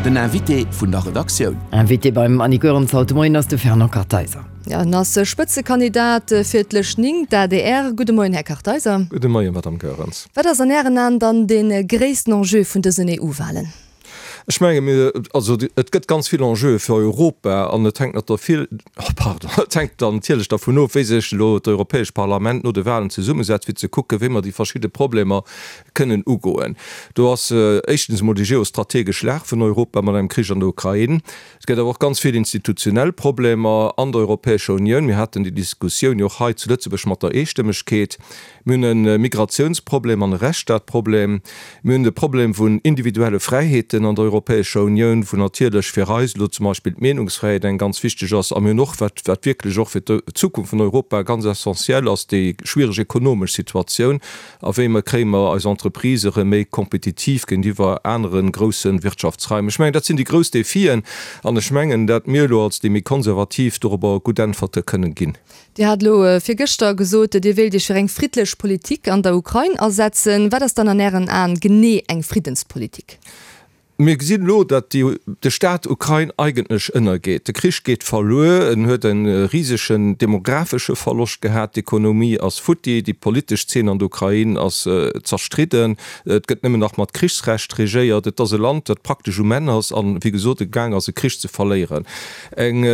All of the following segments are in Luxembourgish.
Den Invité vun der Redaktioun. Invité beim Annick Goerens haut de Moien ass de Fernand Kartheiser. Jo, en ass Spëtzekandidat fir d'Lëscht 9, d'ADR. Gudde Moien, Här Kartheiser. Gudde Moien, Madame Goerens. Wat ass an Ären Aen dann dee gréissten Enjeu vun dësen EU-Walen? Ech menge mir, also et gëtt ganz vill Enjeue fir Europa an et hänkt nat vill, pardon, et hänkt dann natierlech dervun of, wéi sech elo d'Europäescht Parlament no de Wahlen zesummesetzt, fir ze kucken, wéi mer déi verschidde Problemer kënnen ugoen. Do ass éischtens emol déi geostrategesch Lag vun Europa mat engem Krich an der Ukrain. Et gëtt awer och ganz vill institutionell Problemer an der Europäescher Unioun. Mir haten déi Diskussioun jo och hei zu Lëtzebuerg mat der Eestëmmegkeet. Mir hunn e Migratiounsproblem an e Rechtsstaatproblem. Mir hunn de Problem vun individuelle Fräiheeten an der Europäescher Unioun, wou natierlech fir eis elo zum Beispill d'Meenungsfräiheet eng ganz wichteg ass. A mir hunn och, wat wat wierklech och fir d'Zukunft vun Europa ganz essentiell ass, déi schwiereg ekonomesch Situatioun. A wéi mer kréie mer eis Entreprisë rëm méi kompetitiv géintiwwer anere grousse Wirtschaftsraim? Ech mengen, dat sinn déi grouss Defien. An ech mengen, dat mir elo als déi méi Konservativ dorobber gutt Äntwerte kënnen ginn. Dir hat elo virgëschter gesot, Dir wéilt Iech fir eng friddlech Politik an der Ukrain asetzen. Wat ass dann an Ären Aen genee eng Friddenspolitik? Mir gesinn elo, datt de Staat Ukrain eigentlech ënnergeet. De Krich geet verluer, en huet e risegen demographesche Verloscht gehat, d'Ekonomie ass futti, déi politesch Zeen an der Ukrain ass zerstridden, et gëtt nëmmen nach mat Krichsrecht regéiert. Et ass e Land, dat praktesch um Enn ass an, wéi gesot, e gaang ass e Krich ze verléieren. Eng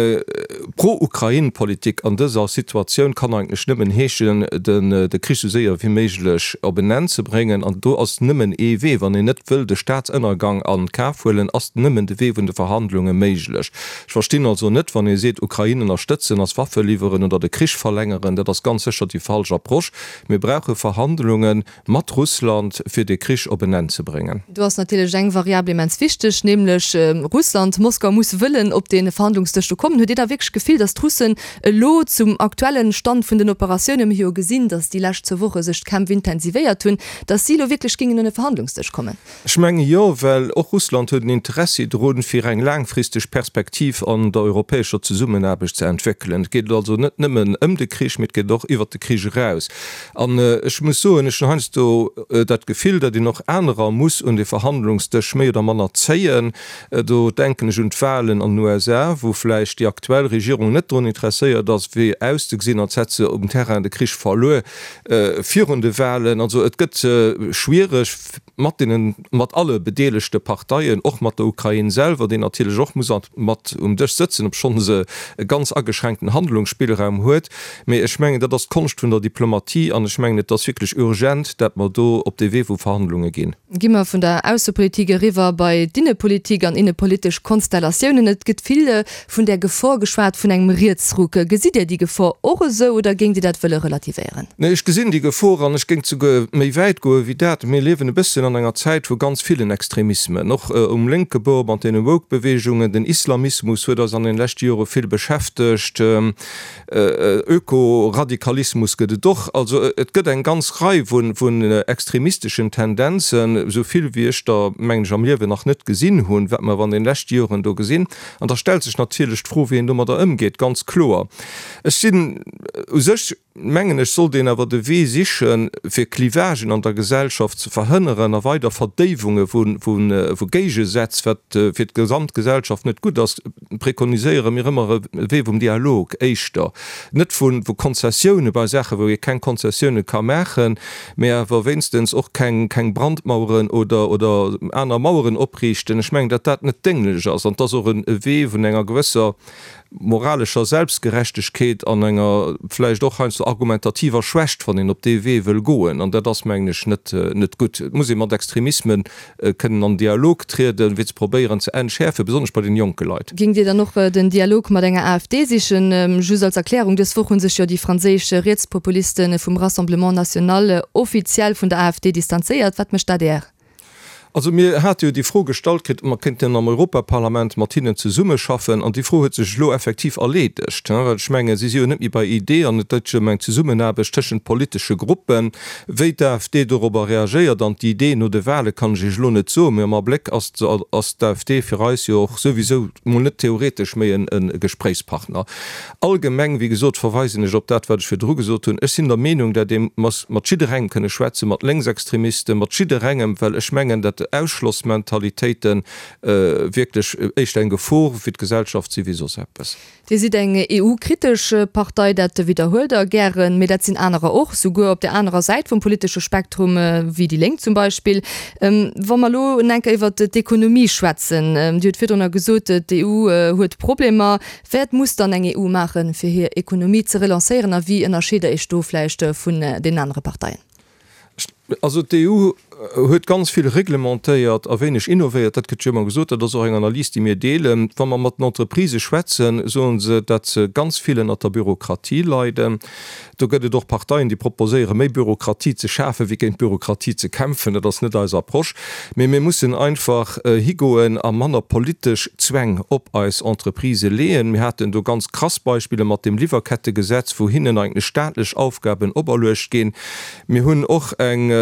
Pro-Ukrain-Politik an dëser Situatioun kann eigentlech nëmmen heeschen, de Krich esou séier wéi méiglech op en Enn ze bréngen. An do ass nëmmen ee Wee, wann een net wëll de Staatsënnergang a Kaf huelen, ass nëmmen de Wee vun de Verhandlunge méiglech. Ech verstinn also net, wann ee seet, Ukrain ënnerstëtzen ass Waffe liwweren oder de Krich verlängeren. Dat ass ganz sécher déi falsch Approche. Mir brauche Verhandlungen. Mat Russland, fir de Krich op en Enn ze bréngen. Do ass natierlech eng Variabel immens wichteg, nämlech Russland. Moskau muss wëllen op dee Verhandlungsdësch do kommen. Hutt Dir da wierklech d'Gefill, datt d'Russen elo zum aktuelle Stand vun den Operatiounen, mir hu jo gesinn, datt déi lescht zwou Woche sech d'Kämpf intensivéiert hunn, datt si elo wierklech géingen un e Verhandlungsdësch kommen? Ech menge jo, well och Russland huet en Interessi drun, fir eng laangfristeg Perspektiv an der europäescher Zesummenaarbecht ze entwéckelen. Et geet also net nëmmen ëm de Krich, mee et geet och iwwert de Krich eraus. An ech muss soen, ech hunn heiansdo dat Gefill, datt een och anerer muss un de Verhandlungsdësch méi oder manner zéien. Do denken ech un d'Wahlen an den USA, wou vläicht déi aktuell Regierung net drun interesséiert ass, wéi auszegesinn, als hätt se um Terrain de Krich verluer virun de Wahlen. Also et gëtt schwiereg. mat deenen, mat alle bedeelegte Parteien, och mat der Ukrain selwer, déi natierlech och muss mat um Dësch sëtzen, obschonn se e ganz ageschränkten Handlungsspillraum huet. Mee ech mengen, dat ass d'Konscht vun der Diplomatie an ech mengen, et ass wierklech urgent, dat mer do op dee Wee vu Verhandlunge ginn. Gi mer vun der Aussepolitik eriwwer bei d'Innepolitik an innepolitesch Konstellatiounen. Et gëtt vill vun där Gefor geschwat vun engem Rietsruck. Gesitt Dir déi Gefor och esou oder géingt Dir dat wëlle relativéieren? Nee, ech gesinn déi Gefor an ech géing souguer méi wäit goe wéi dat. Mir liewen e bësschen an enger Zäit vu ganz villen Extremismen, och um lénke Bord mat deene Woke-Beweegungen. Den Islamismus huet eis an den leschte Jore vill beschäftegt. Ökoradikalismus gëtt et och. Also et gëtt eng ganz Rei vun extremisteschen Tendenzen, esou vill wéi ech der, mengen ech, am Liewen nach net gesinn hunn, wat mer awer an den leschte Joren do gesinn. An da stellt sech natierlech d'Fro, wéi een domadder ëmgeet, ganz kloer. Ech sinn u sech, mengen ech, sollt een awer de Wee sichen, fir Clivagen an der Gesellschaft ze verhënneren a weider Verdéiwunge vu Géigesätz, wat fir d'gesamt Gesellschaft net gutt ass, prekoniséiere mir ëmmer e Wee vum Dialog éischter, net vu Konzessioune bei Saachen, wou ee keng Konzessioune ka maachen, mä awer wéinstens och keng Brandmaueren oder aner Maueren opriichten. Ech mengen, datt dat net dénglech ass an 't ass och e Wee vun enger gewësser moralescher Selbstgerechtegkeet an enger vläicht och heiansdo argumentativer Schwächt, wann een op dee Wee wëll goen. An dat ass, mengen ech, net net gutt. Et muss ee mat Extremisme kënnen an Dialog trieden, fir ze probéieren ze entschäerfen, besonnesch bei den jonke Leit. Géingt Dir dann och den Dialog mat enger AfD sichen? Just als Erklärung, Dës Woch hu sech jo déi franséisch Rietspopuliste vum Rassemblement National offiziell vun der AfD distanzéiert. Wat mécht d'ADR? Also mir hate jo déi Fro gestallt kritt, ob mer kéinten am Europaparlament mat hinnen zesummeschaffen. An déi Fro huet sech elo effektiv erleedegt, well ech mengen, si si jo net méi bei ID an et gëtt jo ëm eng Zesummenaarbecht tëschent politesche Gruppen. Wéi d'AfD dorobber reagéiert an d'ID no de Wahle kann ech Iech elo net soen, mee am Abléck ass d'AfD fir eis jo och souwisou mol net theoretesch méi e Gespréichspartner. Allgemeng, wéi gesot, verweisen ech op dat, wat ech virdru gesot hunn. Ech sinn der Meenung, dat ee muss mat jidderengem kënne schwätzen, mat Lénksextremisten, mat jidderengem, well ech mengen, dat. Ausschlossmentalitéiten wierklech éischter eng Gefor fir d'Gesellschaft si wéi soss eppes. Dir sidd eng EU-kritesch Partei, dat widderhuelt Der gären, mee dat sinn anerer och, souguer op der anerer Säit vum politesche Spektrum, wéi déi Lénk zum Beispill. Wa mer elo en enker iwwert d'Ekonomie schwätzen, Dir hutt virdrunner gesot, d'EU huet Problemer. Wat muss dann eng EU maachen, fir hir Ekonomie ze relancéieren a wéi ënnerscheet Der Iech do vläicht vun deenen anere Parteien? Also d'EU huet ganz vill reglementéiert a wéineg innovéiert, dat gëtt jo ëmmer gesot. Dat ass och eng Analys, déi mir deelen. Wa mer mat den Entreprisë schwätzen, soe se, datt se ganz vill ënnert der Bürokratie leiden. Do gëtt et och Parteien, déi proposéieren, méi Bürokratie ze schafen, wéi géint d'Bürokratie ze kämpfen. Dat ass net eis Approche. Mee mir mussen einfach higoen a manner politesch Zwäng op eis Entreprisë leeën. Mir haten do ganz krass Beispiller mat deem Liwwerkettegesetz, wou hinnen eigentlech staatlech Aufgaben operluecht ginn. Mir hunn och eng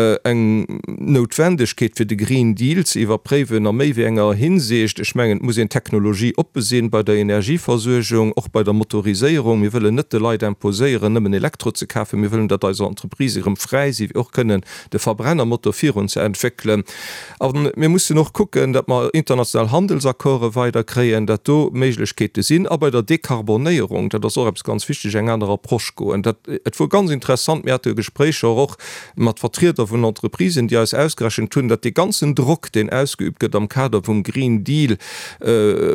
Noutwendegkeet, fir de Green Deal ze iwwerpréiwen a méi wéi enger Hinsicht. Ech mengen, et muss een technologieoppe sinn bei der Energieversuergung, och bei der Motoriséierung. Mir wëllen net de Leit imposéieren, nëmmen Elektro ze kafen. Mir wëllen, datt eis Entreprisë erëm fräi si fir och kënnen de Verbrennermotor virun ze entwéckelen. A mir mussen och kucken, datt mer international Handelsaccorde weider kréien, datt do Méiglechkeete sinn. A bei der Dekarbonéierung, dat ass och eppes ganz Wichtiges, eng aner Approche goen. Dat, et wor ganz interessant, mir hate Gespréicher och mat Vertrieder vun Entreprisen, déi eis ausgerechent hunn, datt dee ganzen Drock, deen ausgeübt gëtt am Kader vum Green Deal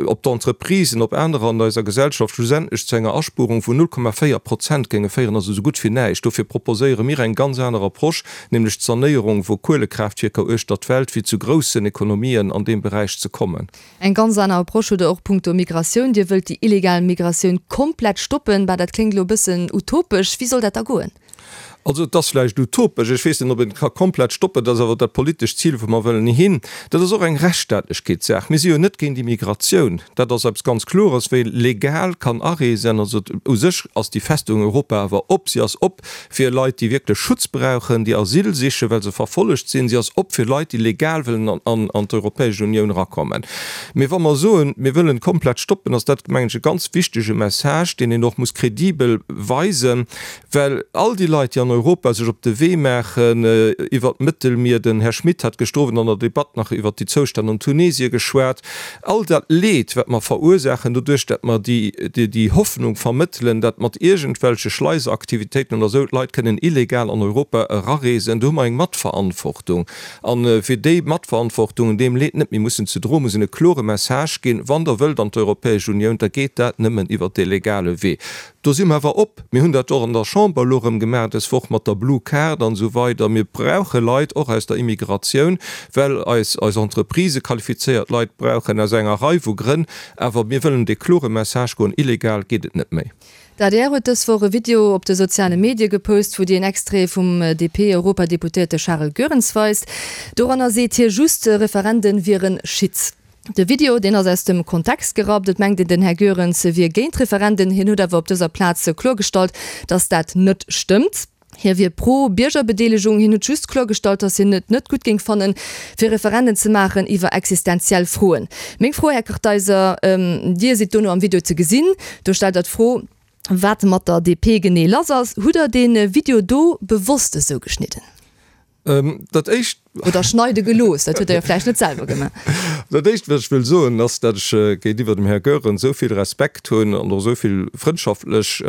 op d'Entreprisen, op anerer an eiser Gesellschaft, schlussendlech zu enger Aspuerung vun 0,4 Prozent géinge féieren, also esou gutt wéi näischt. Dofir proposéiere mir eng ganz aner Approche, nämlech d'Sanéierung vu Kuelekraaftwierker uechter d'Welt, fir zu groussen Ekonomien an deem Beräich ze kommen. Eng ganz aner Approche hutt Der och punkto Migratioun. Dir wëllt déi illegal Migratioun komplett stoppen. Bah, dat kléngt elo e bëssen utopesch. Wéi soll dat da goen? Also et ass vläicht utopesch, ech weess net, ob een et ka komplett stoppen. Dat ass awer dat politescht Zil, wou mer wëllen hin. Dat ass och eng Rechtsstaatlechkeetssaach. Mir si jo net géint Immigratioun. Dat ass eppes ganz Klores. Wie legal kann areesen, also u sech ass déi Festung Europa awer op. Si ass op fir Leit, déi wierklech Schutz brauchen, déi Asyl sichen, well se verfollegt sinn. Si ass op fir Leit, déi legal wëllen an d'Europäesch Unioun erakommen. Mee wa mer soen, mir wëllen komplett stoppen, ass dat, mengen ech, e ganz wichtege Message, deen een och muss kredibel weisen, well all déi Leit, déi an Europa sech op de Wee maachen iwwert d'Mëttelmier, den Här Schmit hat gëschter Owend an der Debatt nach iwwert déi Zoustänn an Tunesien geschwat, All dat Leed, wat mer verursaachen doduerch, dat mer déi Hoffnung vermëttelen, dat mat iergendwelche Schleiseraktivitéiten oder esou d'Leit kënnen illegal an Europa erareesen, do hu mer eng Matverantwortung. A fir déi Matverantwortung, deem Leed net méi mussen ze droen, muss een e klore Message ginn, Wann Der wëllt an d'Europäesch Unioun, da geet dat nëmmen iwwert dee legale Wee. Do si mer awer op. Mir hunn dat och an der Chamber elo erëm gemaach dës Woch mat der Blue Card an esou weider. Mir brauche Leit och aus der Immigratioun, well eis eis Entreprisë qualifizéiert Leit brauchen, aus enger Rei vu Grënn. Awer mir wëllen dee klore Message goen, Illegal geet et net méi. D'adr huet dës Woch e Video op de soziale Medie gepost, wou Dir en Extrait vum DP-Europadeputéierte Charel Goerens weist. Doranner seet hie just, Referenden wiere Shit. De Video, deen ass aus dem Kontext gerappt. Et mengt een, den Här Goerens wier géint Referenden. Hien huet awer op dëser Plaz kloergestallt, datt dat net stëmmt. Hie wier pro Biergerbedeelegung. Hien huet just kloergestallt, datt hien et net gutt géing fannen, fir Referenden ze maachen iwwer existenziell Froen. Meng Fro, Här Kartheiser, Dir sidd dono am Video ze gesinn, do stellt Der d'Fro, wat mat der DP genee lass ass. Hutt Der dee Video do bewosst esou geschnidden? Dat éischt. Oder schneide gelooss, dat huet Der jo vläicht net selwer gemaach. Dat éischt, wat ech wëll soen, ass, datt ech géintiwwer dem Här Goerens esou vill Respekt hunn an och esou vill frëndschaftlech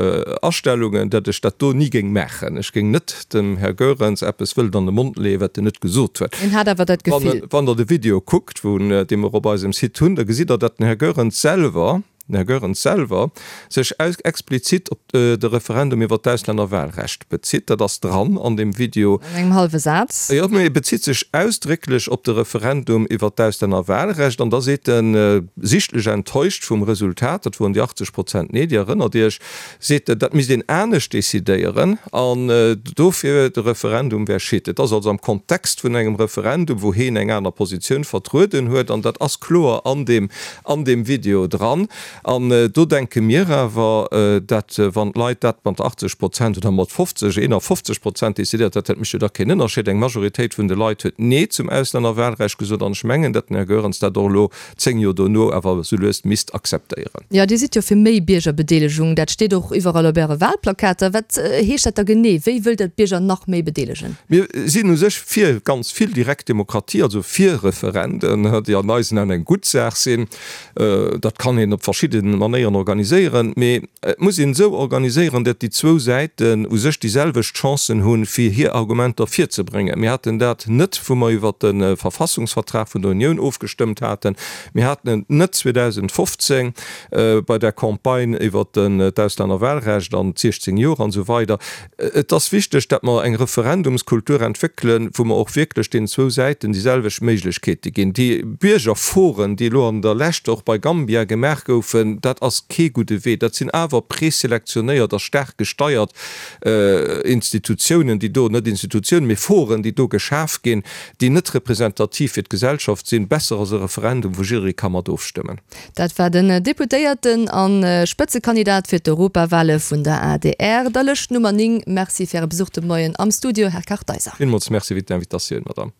Astellungen, datt ech dat do ni géing maachen. Ech géing net dem Här Goerens eppes wëllen an de Mond leeën, wat en net gesot huet. Hien hat awer dat Gefill. Wann Der de Video kuckt, wou, dee mer op eisem Site hunn, da gesitt Der, datt den Här Goerens selwer, den Här Goerens selwer, sech explizit op de Referendum iwwer d'Auslännerwahlrecht bezitt. Dat ass dran an deem Video. An engem hallwe Saz. Jo, mee e bezitt sech ausdrécklech op de Referendum iwwer d'Auslännerwahlrecht. An da seet en, sichtlech enttäuscht vum Resultat, dat woren déi 80 Prozent Nee, Dir erënnert Iech, seet en, dat misst een anescht decidéieren an dofir de Referendum wär Schitt. Et ass also am Kontext vun engem Referendum, wou heen eng aner Positioun vertrueden huet, an dat ass kloer an deem an deem Video dran. An do denke mir awer, dat wann d'Leit dat mat 80 Prozent oder mat 50, 51 Prozent decidéiert, dat mécht jo da keen Ënnerscheed. Eng Majoritéit vun de Leit huet Nee zum Auslännerwahlrecht gesot an ech mengen, dat den Här Goerens dat och elo 10 Joer dono awer esou lues misst akzeptéieren. Jo, Dir sidd jo fir méi Biergerbedeelegung. Dat steet och iwwerall op Äre Wahlplakater. Wat heescht dat da genee? Wéi wëllt Der d'Bierger nach méi bedeelegen? Mir sinn u sech fir ganz vill direkt Demokratie, also fir Referenden, déi an eisen Aen eng gutt Saach sinn. Dat kann een op verschidde Manéieren organiséieren, mee et muss een esou organiséieren, datt déi zwou Säiten u sech déi selwecht Chancen hunn, fir hir Argumenter virzebréngen. Mir haten dat net, wou mer iwwert de Verfassungsvertrag vun der Unioun ofgestëmmt haten. Mir haten et net 2015 bei der Campagne iwwert d'Auslännerwahlrecht an d'16 Joer an esou weider. Et ass wichteg, datt mer eng Referendumskultur entwéckelen, wou mer och wierklech deenen zwou Säiten déi selwecht Méiglechkeete ginn. Déi Biergerforen, déi elo an der Lescht och bei Gambia gemaach goufen, dat ass kee gudde Wee. Dat sinn awer preselektionéiert a staark gesteiert Institutiounen, déi do, net Institutiounen, mee Foren, déi do geschaf ginn, déi net representativ fir d'Gesellschaft sinn. Besser ass e Referendum, wou jidderee ka mat ofstëmmen. Dat war den Deputéierten a Spëtzekandidat fir d'Europawale vun der adr, der Lëscht Nummer 9. Merci fir Äre Besuch de Moien am Studio, Här Kartheiser. Villmools Merci fir d'Invitatioun, Madame.